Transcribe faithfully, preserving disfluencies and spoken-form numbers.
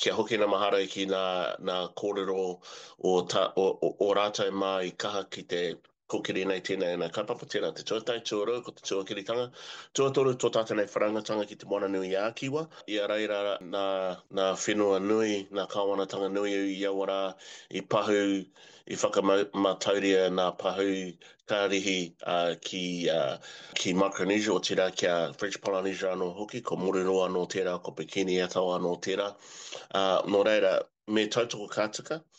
Kia hoki nā mahara ki nā, nā kōrero o, ta, o, o, o rātou mā i kaha ki te kōkiri nei tēnei nā kaupapa, tērā te tuatahi, tuarua, ko te tuakiritanga. Tuatoru, tō tātou nei whanaungatanga ki te Moana Nui a Kiwa. I a reira nā, nā whenua nui, nā kāwanatanga nui i aua rā, i pahū, i whakamatauria nā pahū karihi uh, ki, uh, ki Micronesia, otirā ki a French Polynesia anō hoki, ko Moruroa anō tērā, ko Bikini Atoll anō tērā. Uh, nō reira, me tautoko ka tika.